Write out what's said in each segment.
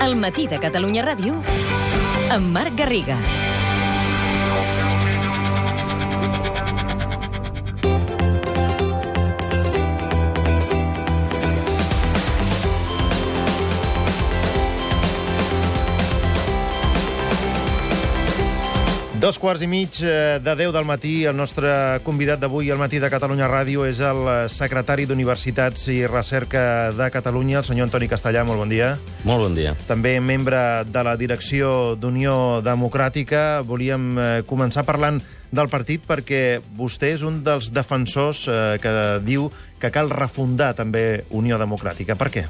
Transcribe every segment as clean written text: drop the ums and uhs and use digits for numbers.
El matí de Catalunya Ràdio amb Marc Garriga. Dos quarts i mig de 10 del matí. El nostre convidat d'avui al matí de Catalunya Ràdio és el secretari d'Universitats i Recerca de Catalunya, el senyor Antoni Castellà. Molt bon dia. Molt bon dia. També membre de la direcció d'Unió Democràtica. Volíem començar parlant del partit perquè vostè és un dels defensors que diu que cal refundar també Unió Democràtica. Per què?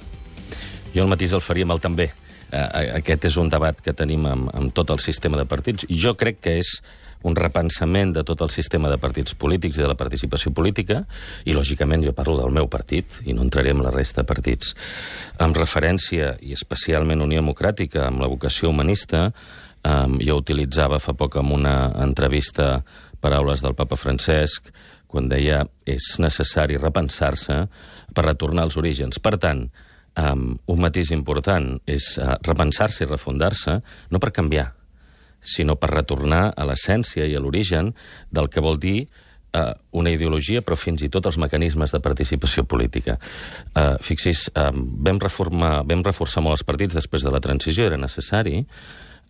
Jo el matís el faria amb el també. Aquest és un debat que tenim amb tot el sistema de partits. Jo crec que és un repensament de tot el sistema de partits polítics i de la participació política, i lògicament jo parlo del meu partit i no entraré en la resta de partits. Amb referència, i especialment Unió Democràtica, amb la vocació humanista, jo utilitzava fa poc en una entrevista paraules del papa Francesc quan deia és necessari repensar-se per retornar als orígens. Per tant, un matís important és repensar-se i refundar-se, no per canviar, sinó per retornar a l'essència i a l'origen del que vol dir una ideologia, però fins i tot els mecanismes de participació política. Fixis, vam reforçar molt els partits després de la transició, era necessari,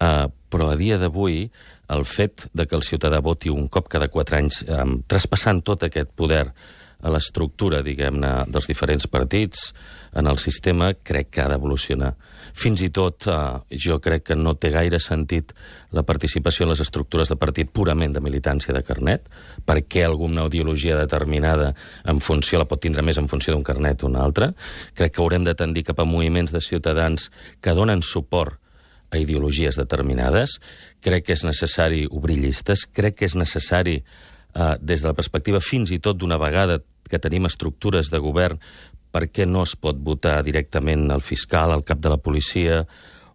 però a dia d'avui el fet de que el ciutadà voti un cop cada 4 anys, traspassant tot aquest poder a l'estructura, diguem-ne, dels diferents partits, en el sistema, crec que ha d'evolucionar. Fins i tot, jo crec que no té gaire sentit la participació en les estructures de partit purament de militància de carnet, perquè alguna ideologia determinada en funció, la pot tindre més en funció d'un carnet o un altre. Crec que haurem de tendir cap a moviments de ciutadans que donen suport a ideologies determinades. Crec que és necessari obrir llistes, crec que és necessari des de la perspectiva fins i tot d'una vegada que tenim estructures de govern, per què no es pot votar directament el fiscal, el cap de la policia,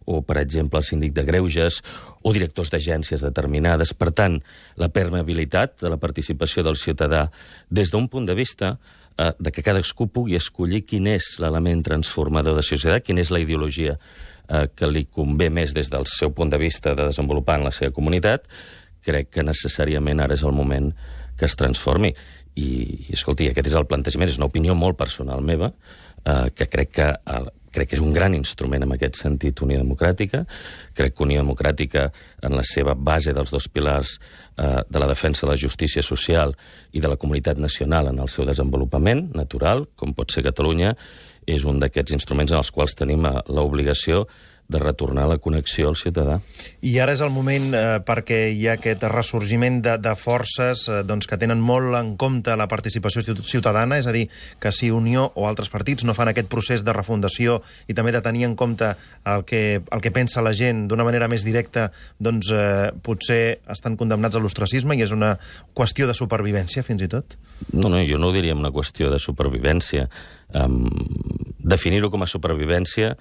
o, per exemple, el síndic de greuges, o directors d'agències determinades. Per tant, la permeabilitat de la participació del ciutadà des d'un punt de vista de que cadascú pugui escollir quin és l'element transformador de societat, quina és la ideologia que li convé més des del seu punt de vista de desenvolupar en la seva comunitat, crec que necessàriament ara és el moment que es transformi. I escolti, aquest és el plantejament, és una opinió molt personal meva, que crec que és un gran instrument en aquest sentit Unió Democràtica. Crec que Unió Democràtica, en la seva base dels 2 pilars de la defensa de la justícia social i de la comunitat nacional en el seu desenvolupament natural, com pot ser Catalunya, és un d'aquests instruments en els quals tenim l'obligació de retornar la connexió al ciutadà. I ara és el moment perquè hi ha aquest ressorgiment de forces que tenen molt en compte la participació ciutadana, és a dir, que si Unió o altres partits no fan aquest procés de refundació i també de tenir en compte el que pensa la gent d'una manera més directa, doncs potser estan condemnats a l'ostracisme i és una qüestió de supervivència, fins i tot? No, jo no ho diria una qüestió de supervivència. Definir-ho com a supervivència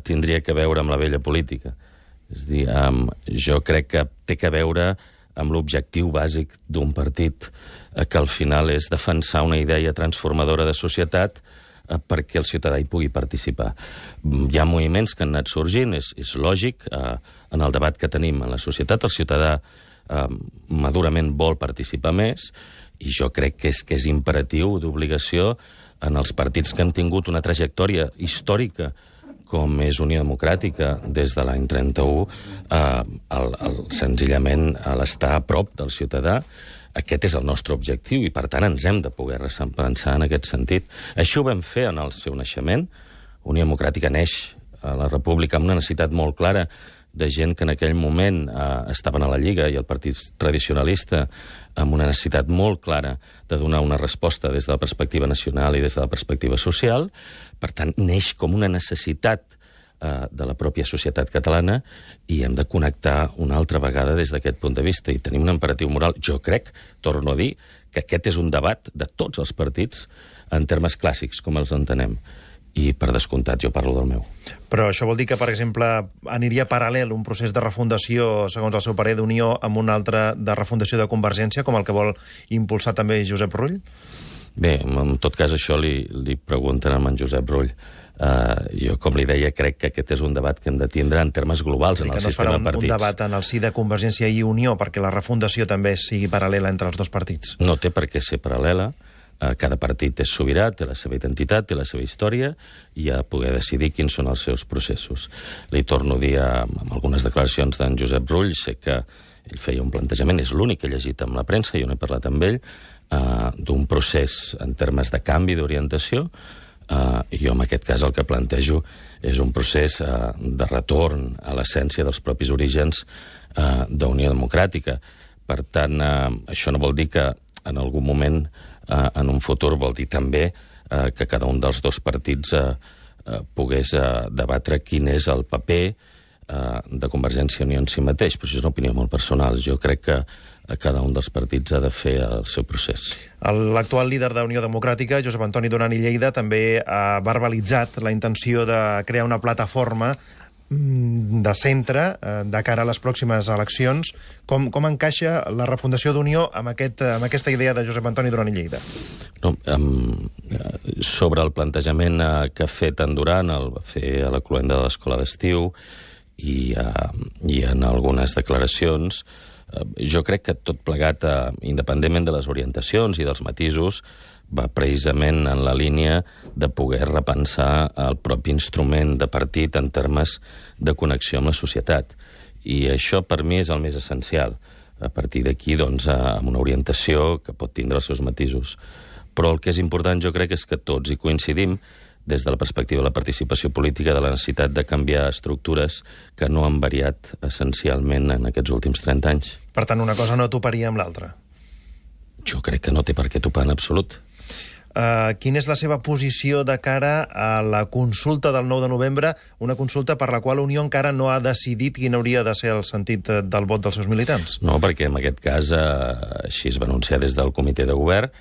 tindria que veure amb la vella política. És a dir, jo crec que té que veure amb l'objectiu bàsic d'un partit, que al final és defensar una idea transformadora de societat perquè el ciutadà hi pugui participar. Hi ha moviments que han anat sorgint, és lògic, en el debat que tenim en la societat, el ciutadà madurament vol participar més, i jo crec que és imperatiu, d'obligació, en els partits que han tingut una trajectòria històrica com és Unió Democràtica des de l'any 31, senzillament l'estar a prop del ciutadà. Aquest és el nostre objectiu i, per tant, ens hem de poder pensar en aquest sentit. Així ho vam fer en el seu naixement. Unió Democràtica neix a la República amb una necessitat molt clara de gent que en aquell moment estaven a la Lliga i el partit tradicionalista, amb una necessitat molt clara de donar una resposta des de la perspectiva nacional i des de la perspectiva social. Per tant, neix com una necessitat de la pròpia societat catalana i hem de connectar una altra vegada des d'aquest punt de vista i tenim un imperatiu moral. Jo crec, torno a dir, que aquest és un debat de tots els partits en termes clàssics, com els entenem. I, per descomptat, jo parlo del meu. Però això vol dir que, per exemple, aniria paral·lel un procés de refundació, segons el seu parer, d'Unió amb un altre de refundació de Convergència, com el que vol impulsar també Josep Rull? Bé, en tot cas, això li pregunten a en Josep Rull. Jo, com li deia, crec que aquest és un debat que hem de tindre en termes globals en el sistema de partits. Que no es farà un debat en el si de Convergència i Unió perquè la refundació també sigui paral·lela entre els dos partits. No té per què ser paral·lela. Cada partit és sobirà, té la seva identitat, té la seva història, i ha de poder decidir quins són els seus processos. Li torno a dir, amb algunes declaracions d'en Josep Rull, sé que ell feia un plantejament, és l'únic que he llegit amb la premsa, jo no he parlat amb ell, d'un procés en termes de canvi d'orientació. Jo, en aquest cas, el que plantejo és un procés de retorn a l'essència dels propis orígens d'Unió Democràtica. Per tant, això no vol dir que en algun moment, en un futur, vol dir també que cada un dels dos partits pogués debatre quin és el paper de Convergència i Unió en si mateix. Però això és una opinió molt personal. Jo crec que cada un dels partits ha de fer el seu procés. L'actual líder d'Unió Democràtica, Josep Antoni Duran i Lleida, també ha verbalitzat la intenció de crear una plataforma de centre de cara a les pròximes eleccions. Com encaixa la refundació d'Unió amb aquesta idea de Josep Antoni Duran i Lleida? No, sobre el plantejament que ha fet en Duran, el va fer a la cloenda de l'Escola d'Estiu i en algunes declaracions, jo crec que tot plegat, independentment de les orientacions i dels matisos, va precisament en la línia de poder repensar el propi instrument de partit en termes de connexió amb la societat. I això, per mi, és el més essencial. A partir d'aquí, doncs, amb una orientació que pot tindre els seus matisos. Però el que és important, jo crec, és que tots hi coincidim des de la perspectiva de la participació política, de la necessitat de canviar estructures que no han variat essencialment en aquests últims 30 anys. Per tant, una cosa no toparia amb l'altra. Jo crec que no té per què topar en absolut. Quina és la seva posició de cara a la consulta del 9 de novembre, una consulta per la qual Unió encara no ha decidit quin hauria de ser el sentit del vot dels seus militants? No, perquè en aquest cas així es va anunciar des del comitè de govern.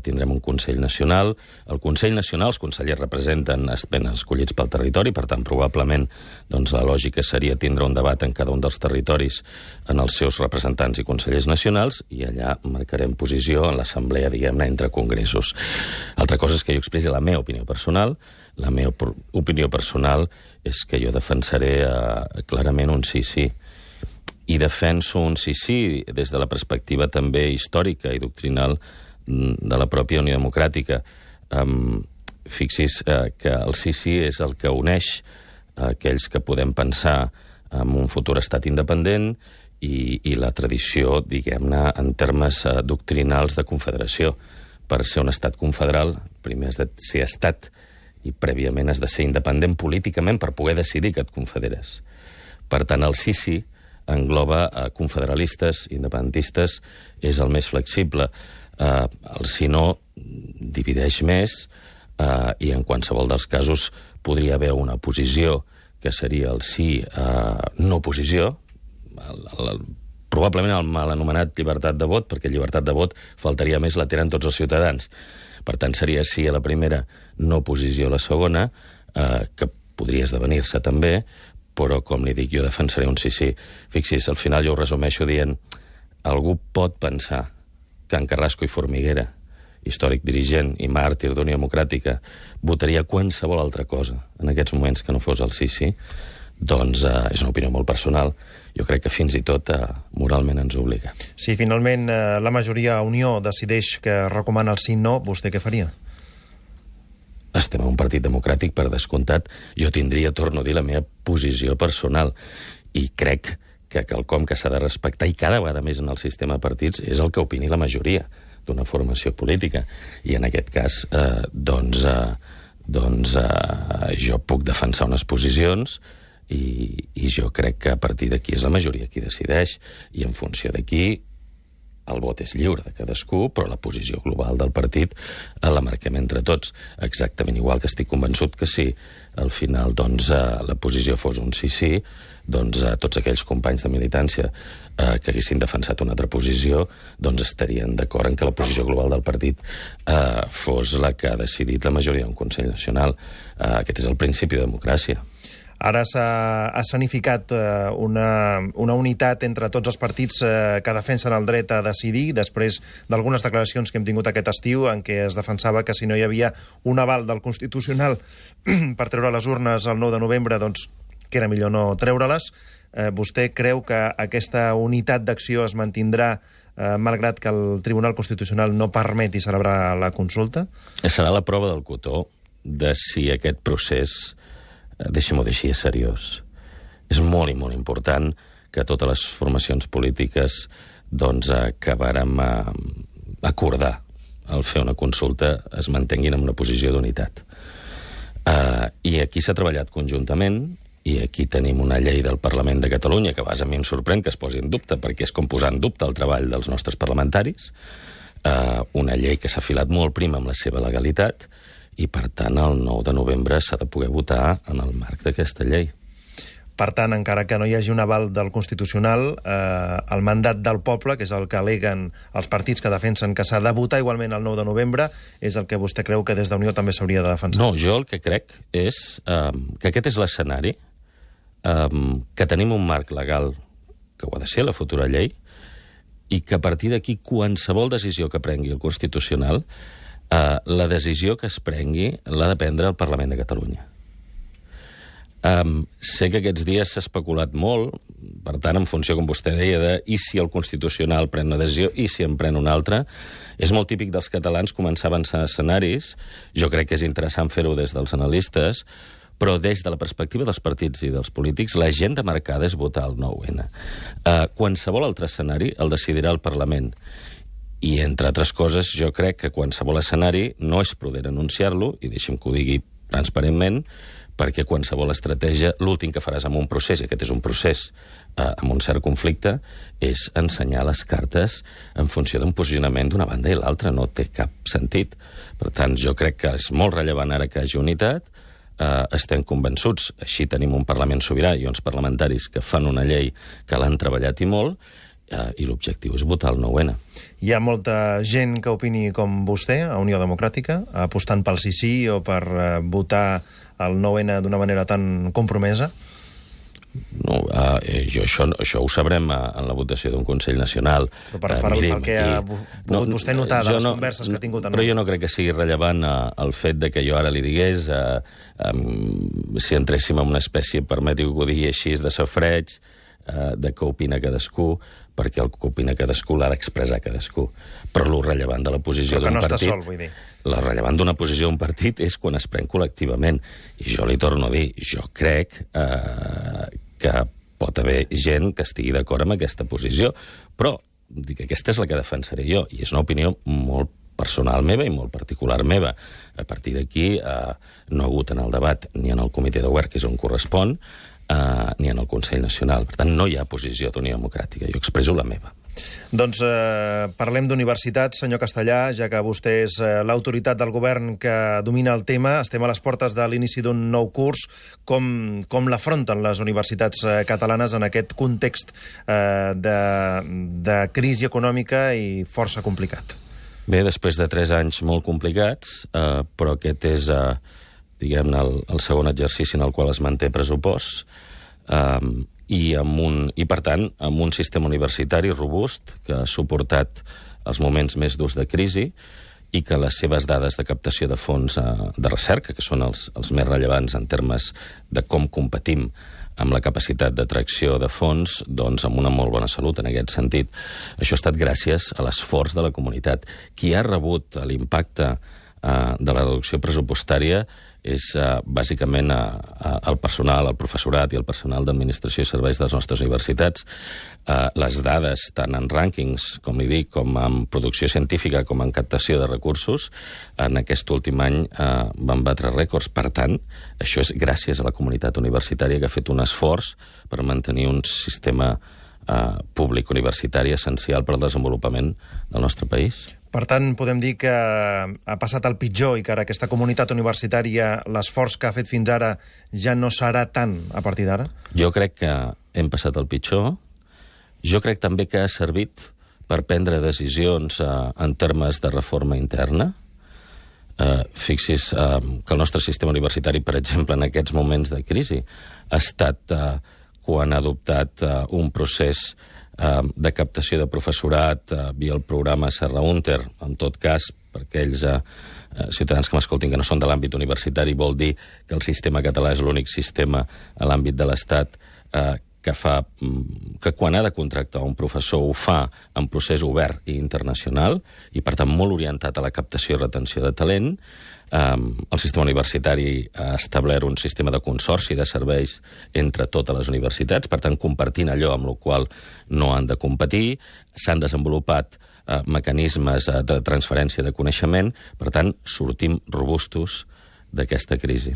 Tindrem un Consell Nacional. El Consell Nacional, els consellers representen, ben escollits pel territori, per tant, probablement doncs, la lògica seria tindre un debat en cada un dels territoris en els seus representants i consellers nacionals, i allà marcarem posició en l'assemblea, diguem-ne, entre congressos. Altra cosa és que jo expressi la meva opinió personal. La meva opinió personal és que jo defensaré clarament un sí-sí. I defenso un sí-sí des de la perspectiva també històrica i doctrinal de la pròpia Unió Democràtica. Fixi's que el sí és el que uneix aquells que podem pensar en un futur estat independent i la tradició, diguem-ne, en termes doctrinals de confederació. Per ser un estat confederal, primer has de ser estat i prèviament has de ser independent políticament per poder decidir que et confederes. Per tant, el sí engloba confederalistes, independentistes, és el més flexible. El si no divideix més i en qualsevol dels casos podria haver una posició que seria el sí no posició, probablement el mal anomenat llibertat de vot, perquè llibertat de vot faltaria més, la tenen tots els ciutadans. Per tant, seria sí a la primera, no posició a la segona, que podria esdevenir-se també, però, com li dic, jo defensaré un sí. Fixi's, al final jo ho resumeixo dient algú pot pensar que en Carrasco i Formiguera, històric dirigent i màrtir d'Unió Democràtica, votaria qualsevol altra cosa en aquests moments que no fos el sí, doncs és una opinió molt personal. Jo crec que fins i tot moralment ens obliga. Si finalment la majoria a Unió decideix que recomana el sí-no, vostè què faria? Estem en un partit democràtic, per descomptat. Jo tindria, torno a dir, la meva posició personal. I crec que quelcom que s'ha de respectar, i cada vegada més en el sistema de partits, és el que opini la majoria d'una formació política. I en aquest cas, jo puc defensar unes posicions i jo crec que a partir d'aquí és la majoria qui decideix. I en funció d'aquí el vot és lliure de cadascú, però la posició global del partit la marquem entre tots. Exactament igual que estic convençut que si al final la posició fos un sí, doncs tots aquells companys de militància que haguessin defensat una altra posició doncs estarien d'acord en que la posició global del partit fos la que ha decidit la majoria d'un Consell Nacional. Aquest és el principi de democràcia. Ara s'ha escenificat una unitat entre tots els partits que defensen el dret a decidir, després d'algunes declaracions que hem tingut aquest estiu en què es defensava que si no hi havia un aval del Constitucional per treure les urnes el 9 de novembre, doncs que era millor no treure-les. Vostè creu que aquesta unitat d'acció es mantindrà malgrat que el Tribunal Constitucional no permeti celebrar la consulta? Serà la prova del cotó de si aquest procés, deixem-ho dir així, és seriós. És molt i molt important que totes les formacions polítiques doncs acabarem a acordar al fer una consulta es mantenguin en una posició d'unitat. I aquí s'ha treballat conjuntament, i aquí tenim una llei del Parlament de Catalunya que a vegades a mi em sorprèn que es posi en dubte, perquè és com posar en dubte el treball dels nostres parlamentaris, una llei que s'ha filat molt prim amb la seva legalitat, i, per tant, el 9 de novembre s'ha de poder votar en el marc d'aquesta llei. Per tant, encara que no hi hagi un aval del Constitucional, el mandat del poble, que és el que aleguen els partits que defensen que s'ha de votar igualment el 9 de novembre, és el que vostè creu que des d'Unió també s'hauria de defensar? No, jo el que crec és que aquest és l'escenari, que tenim un marc legal que ho ha de ser, la futura llei, i que a partir d'aquí qualsevol decisió que prengui el Constitucional, la decisió que es prengui l'ha de prendre el Parlament de Catalunya. Sé que aquests dies s'ha especulat molt, per tant, en funció, com vostè deia, de i si el Constitucional pren una decisió i si en pren una altra. És molt típic dels catalans començar a avançar escenaris. Jo crec que és interessant fer-ho des dels analistes, però des de la perspectiva dels partits i dels polítics, l'agenda marcada és votar el 9-N. Qualsevol altre escenari el decidirà el Parlament. I, entre altres coses, jo crec que qualsevol escenari no és prudent anunciar-lo, i deixem que ho digui transparentment, perquè qualsevol estratègia, l'últim que faràs amb un procés, i aquest és un procés amb un cert conflicte, és ensenyar les cartes en funció d'un posicionament d'una banda i l'altra. No té cap sentit. Per tant, jo crec que és molt rellevant ara que hi hagi unitat. Estem convençuts, així tenim un Parlament sobirà i uns parlamentaris que fan una llei que l'han treballat i molt, i l'objectiu és votar el 9-N. Hi ha molta gent que opini com vostè, a Unió Democràtica, apostant pel sí o per votar el 9-N d'una manera tan compromesa? No, això ho sabrem en la votació d'un Consell Nacional. Però pel que ha pogut vostè notar de les converses que ha tingut... Però jo no crec que sigui rellevant el fet de que jo ara li digués si entréssim en una espècie, permeti que ho digui així, de safreig, de què opina cadascú, perquè el que opina cadascú l'ha d'expressar cadascú. Però el rellevant de la posició d'un partit... Però que no està sol, vull dir. El rellevant d'una posició d'un partit és quan es pren col·lectivament. I jo li torno a dir, jo crec que pot haver gent que estigui d'acord amb aquesta posició, però dic, aquesta és la que defensaré jo, i és una opinió molt personal meva i molt particular meva. A partir d'aquí no ha hagut en el debat ni en el comitè de govern, que és on correspon, ni en el Consell Nacional. Per tant, no hi ha posició d'Unió Democràtica. Jo expresso la meva. Doncs parlem d'universitats, senyor Castellà, ja que vostè és l'autoritat del govern que domina el tema. Estem a les portes de l'inici d'un nou curs. Com l'afronten les universitats catalanes en aquest context de crisi econòmica i força complicat? Bé, després de 3 anys molt complicats, però aquest és, diguem-ne, el segon exercici en el qual es manté pressupost, i per tant, amb un sistema universitari robust que ha suportat els moments més durs de crisi i que les seves dades de captació de fons de recerca, que són els més rellevants en termes de com competim amb la capacitat d'atracció de fons, doncs amb una molt bona salut en aquest sentit. Això ha estat gràcies a l'esforç de la comunitat. Qui ha rebut l'impacte de la reducció pressupostària és bàsicament el personal, el professorat i el personal d'administració i serveis de les nostres universitats. Les dades, tant en rànquings, com li dic, com en producció científica, com en captació de recursos, en aquest últim any van batre rècords. Per tant, això és gràcies a la comunitat universitària que ha fet un esforç per mantenir un sistema públic universitari essencial per al desenvolupament del nostre país. Per tant, podem dir que ha passat el pitjor i que ara aquesta comunitat universitària, l'esforç que ha fet fins ara, ja no serà tant a partir d'ara? Jo crec que hem passat el pitjor. Jo crec també que ha servit per prendre decisions en termes de reforma interna. Fixi's que el nostre sistema universitari, per exemple, en aquests moments de crisi, ha estat quan ha adoptat un procés de captació de professorat via el programa Serra Húnter. En tot cas, per aquells ciutadans que m'escoltin que no són de l'àmbit universitari, vol dir que el sistema català és l'únic sistema a l'àmbit de l'Estat que quan ha de contractar un professor ho fa en procés obert i internacional i, per tant, molt orientat a la captació i retenció de talent. El sistema universitari ha establert un sistema de consorci de serveis entre totes les universitats, per tant, compartint allò amb el qual no han de competir. S'han desenvolupat mecanismes de transferència de coneixement, per tant, sortim robustos d'aquesta crisi.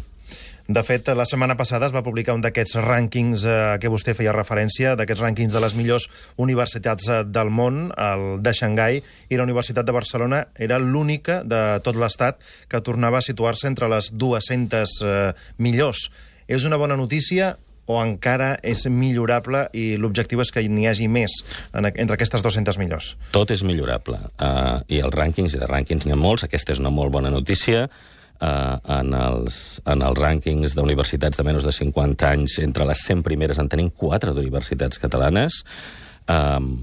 De fet, la setmana passada es va publicar un d'aquests rànquings a què vostè feia referència, d'aquests rànquings de les millors universitats del món, el de Xangai, i la Universitat de Barcelona era l'única de tot l'Estat que tornava a situar-se entre les 200 millors. És una bona notícia o encara és millorable i l'objectiu és que n'hi hagi més entre aquestes 200 millors? Tot és millorable. I els rànquings, i de rànquings n'hi ha molts, aquesta és una molt bona notícia. En els rànquings d'universitats de menys de 50 anys, entre les 100 primeres en tenim 4 d'universitats catalanes. En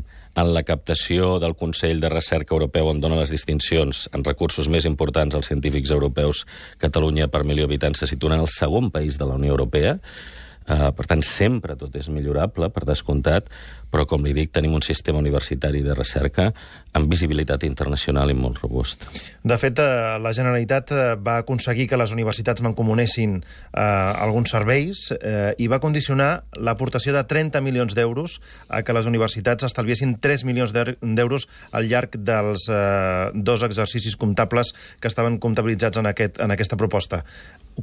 la captació del Consell de Recerca Europeu, on dona les distincions en recursos més importants als científics europeus, Catalunya per milió d'habitants se situa en el segon país de la Unió Europea. Per tant, sempre tot és millorable, per descomptat, però, com li dic, tenim un sistema universitari de recerca amb visibilitat internacional i molt robust. De fet, la Generalitat va aconseguir que les universitats mancomunessin alguns serveis i va condicionar l'aportació de 30 milions d'euros a que les universitats estalviessin 3 milions d'euros al llarg dels 2 exercicis comptables que estaven comptabilitzats en aquesta proposta.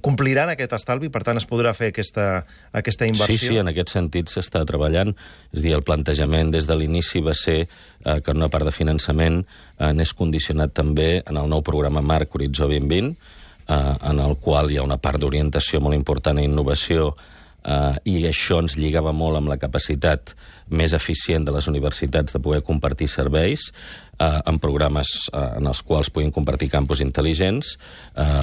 Compliran aquest estalvi? Per tant, es podrà fer aquesta inversió? Sí, en aquest sentit s'està treballant. És a dir, el plantejament des de l'inici va ser que una part de finançament n'és condicionat també en el nou programa Marc Horitzó 2020, en el qual hi ha una part d'orientació molt important a innovació, i això ens lligava molt amb la capacitat més eficient de les universitats de poder compartir serveis en programes en els quals puguin compartir campus intel·ligents.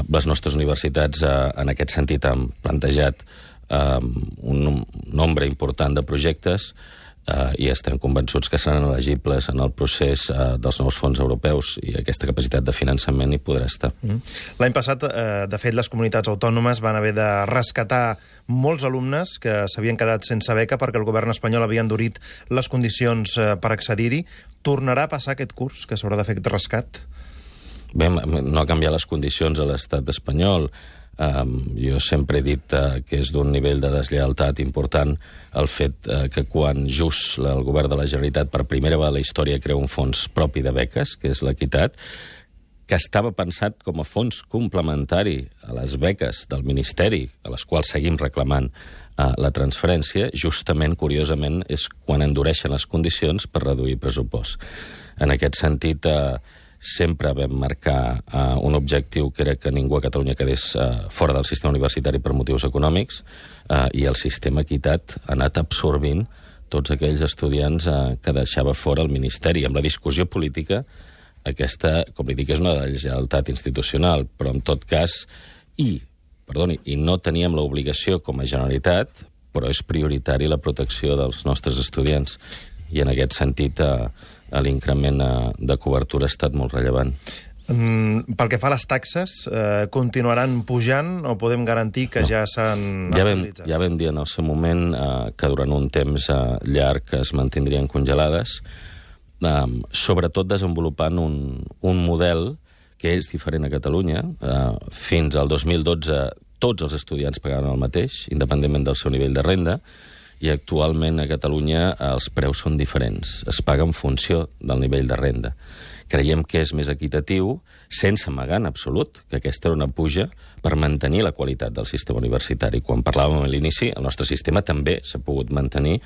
Les nostres universitats, en aquest sentit, han plantejat un nombre important de projectes i estem convençuts que seran elegibles en el procés dels nous fons europeus i aquesta capacitat de finançament hi podrà estar. L'any passat, de fet, les comunitats autònomes van haver de rescatar molts alumnes que s'havien quedat sense beca perquè el govern espanyol havia endurit les condicions per accedir-hi. Tornarà a passar aquest curs, que s'haurà de fer aquest rescat? Bé, no ha canviat les condicions a l'estat espanyol. Jo sempre he dit que és d'un nivell de deslleialtat important el fet que quan just el govern de la Generalitat per primera vegada a la història crea un fons propi de beques, que és l'equitat, que estava pensat com a fons complementari a les beques del Ministeri, a les quals seguim reclamant la transferència, justament, curiosament, és quan endureixen les condicions per reduir pressupost. En aquest sentit, sempre vam marcar un objectiu que era que ningú a Catalunya quedés fora del sistema universitari per motius econòmics, i el sistema equitat ha anat absorbint tots aquells estudiants que deixava fora el Ministeri. Amb la discussió política, aquesta, com li dic, és una deslleialtat institucional, però en tot cas, i no teníem l'obligació com a Generalitat, però és prioritari la protecció dels nostres estudiants. I en aquest sentit, l'increment de cobertura ha estat molt rellevant. Pel que fa a les taxes, continuaran pujant o podem garantir que ja s'han estabilitzat? Ja vam dir en el seu moment que durant un temps llarg es mantindrien congelades, sobretot desenvolupant un model que és diferent a Catalunya. Fins al 2012 tots els estudiants pagaven el mateix, independentment del seu nivell de renda, i actualment a Catalunya els preus són diferents. Es paga en funció del nivell de renda. Creiem que és més equitatiu, sense amagar en absolut que aquesta era una puja per mantenir la qualitat del sistema universitari. Quan parlàvem a l'inici, el nostre sistema també s'ha pogut mantenir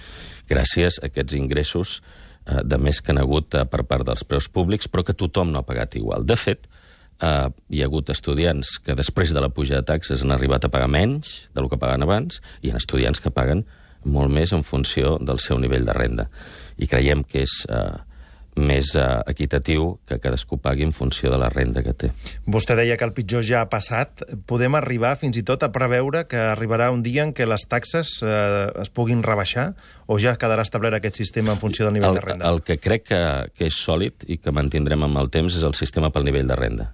gràcies a aquests ingressos de més que han hagut per part dels preus públics, però que tothom no ha pagat igual. De fet, hi ha hagut estudiants que després de la puja de taxes han arribat a pagar menys del que pagaven abans, i hi ha estudiants que paguen molt més en funció del seu nivell de renda. I creiem que és més equitatiu, que cadascú pagui en funció de la renda que té. Vostè deia que el pitjor ja ha passat. Podem arribar fins i tot a preveure que arribarà un dia en què les taxes es puguin rebaixar o ja quedarà establert aquest sistema en funció del nivell de renda? El que crec que és sòlid i que mantindrem amb el temps és el sistema pel nivell de renda.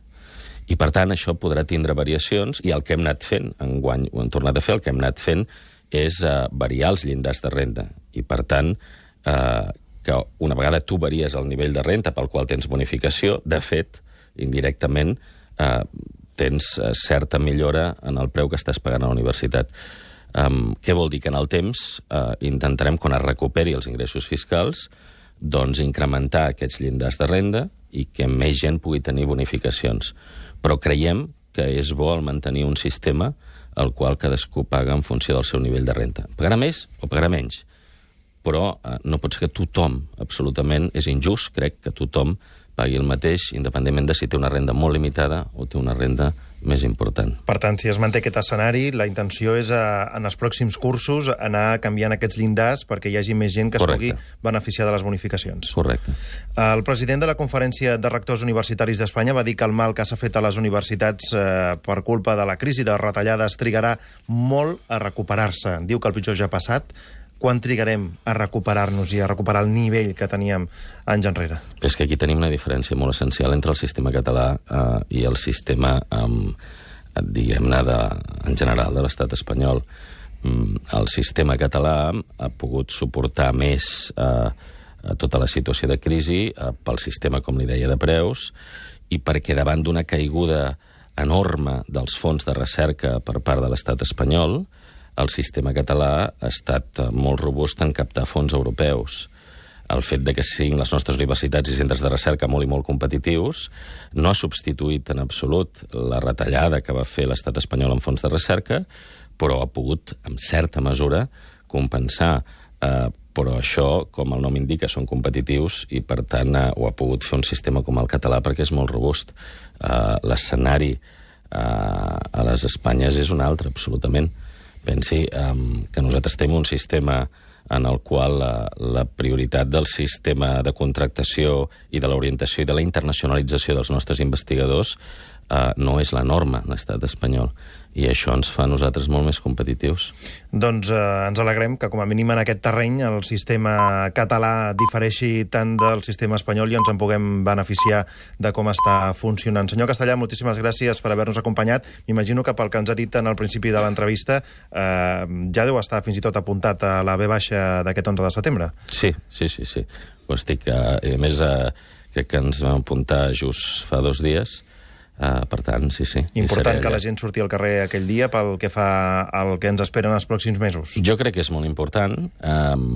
I, per tant, això podrà tindre variacions i el que hem anat fent, enguany ho hem tornat a fer, el que hem anat fent és variar els llindars de renda. I, per tant, que una vegada tu varies el nivell de renda pel qual tens bonificació, de fet, indirectament, tens certa millora en el preu que estàs pagant a la universitat. Què vol dir? Que en el temps intentarem, quan es recuperi els ingressos fiscals, doncs incrementar aquests llindars de renda i que més gent pugui tenir bonificacions. Però creiem que és bo el mantenir un sistema al qual cadascú paga en funció del seu nivell de renda. Pagarà més o pagarà menys? Però no pot ser que tothom, absolutament, és injust, crec, que tothom pagui el mateix, independentment de si té una renda molt limitada o té una renda més important. Per tant, si es manté aquest escenari, la intenció és, en els pròxims cursos, anar canviant aquests llindars perquè hi hagi més gent que es pugui beneficiar de les bonificacions. Correcte. El president de la Conferència de Rectors Universitaris d'Espanya va dir que el mal que s'ha fet a les universitats per culpa de la crisi de retallades trigarà molt a recuperar-se. Diu que el pitjor ja ha passat. Quan trigarem a recuperar-nos i a recuperar el nivell que teníem anys enrere? És que aquí tenim una diferència molt essencial entre el sistema català i el sistema, diguem-ne, en general de l'estat espanyol. El sistema català ha pogut suportar més tota la situació de crisi pel sistema, com li deia, de preus, i perquè davant d'una caiguda enorme dels fons de recerca per part de l'estat espanyol, el sistema català ha estat molt robust en captar fons europeus. El fet de que siguin les nostres universitats i centres de recerca molt i molt competitius no ha substituït en absolut la retallada que va fer l'estat espanyol en fons de recerca, però ha pogut, en certa mesura, compensar. Però això, com el nom indica, són competitius i, per tant, ho ha pogut fer un sistema com el català perquè és molt robust. L'escenari a les Espanyes és un altre, absolutament. Pensi que nosaltres tenim un sistema en el qual la prioritat del sistema de contractació i de l'orientació i de la internacionalització dels nostres investigadors no és la norma en l'estat espanyol. I això ens fa a nosaltres molt més competitius. Doncs ens alegrem que, com a mínim en aquest terreny, el sistema català difereixi tant del sistema espanyol i ens en puguem beneficiar de com està funcionant. Senyor Castellà, moltíssimes gràcies per haver-nos acompanyat. M'imagino que pel que ens ha dit en el principi de l'entrevista ja deu estar fins i tot apuntat a la V baixa d'aquest 11 de setembre. Sí. Ho estic. A més, crec que ens vam apuntar just fa 2 dies. Per tant, sí. Important que la gent surti al carrer aquell dia pel que fa al que ens esperen els pròxims mesos. Jo crec que és molt important.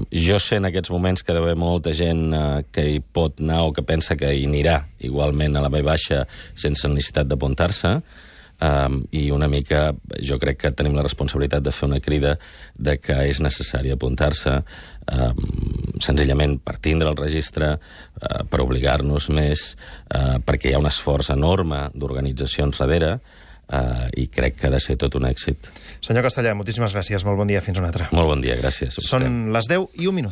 Jo sé en aquests moments que deu haver molta gent que hi pot anar o que pensa que hi anirà igualment a la V baixa sense necessitat d'apuntar-se. I una mica jo crec que tenim la responsabilitat de fer una crida de que és necessari apuntar-se, senzillament per tindre el registre, per obligar-nos més, perquè hi ha un esforç enorme d'organitzacions darrere, i crec que ha de ser tot un èxit. Senyor Castellà, moltíssimes gràcies. Molt bon dia. Fins una altra. Molt bon dia, gràcies. Són les 10:01.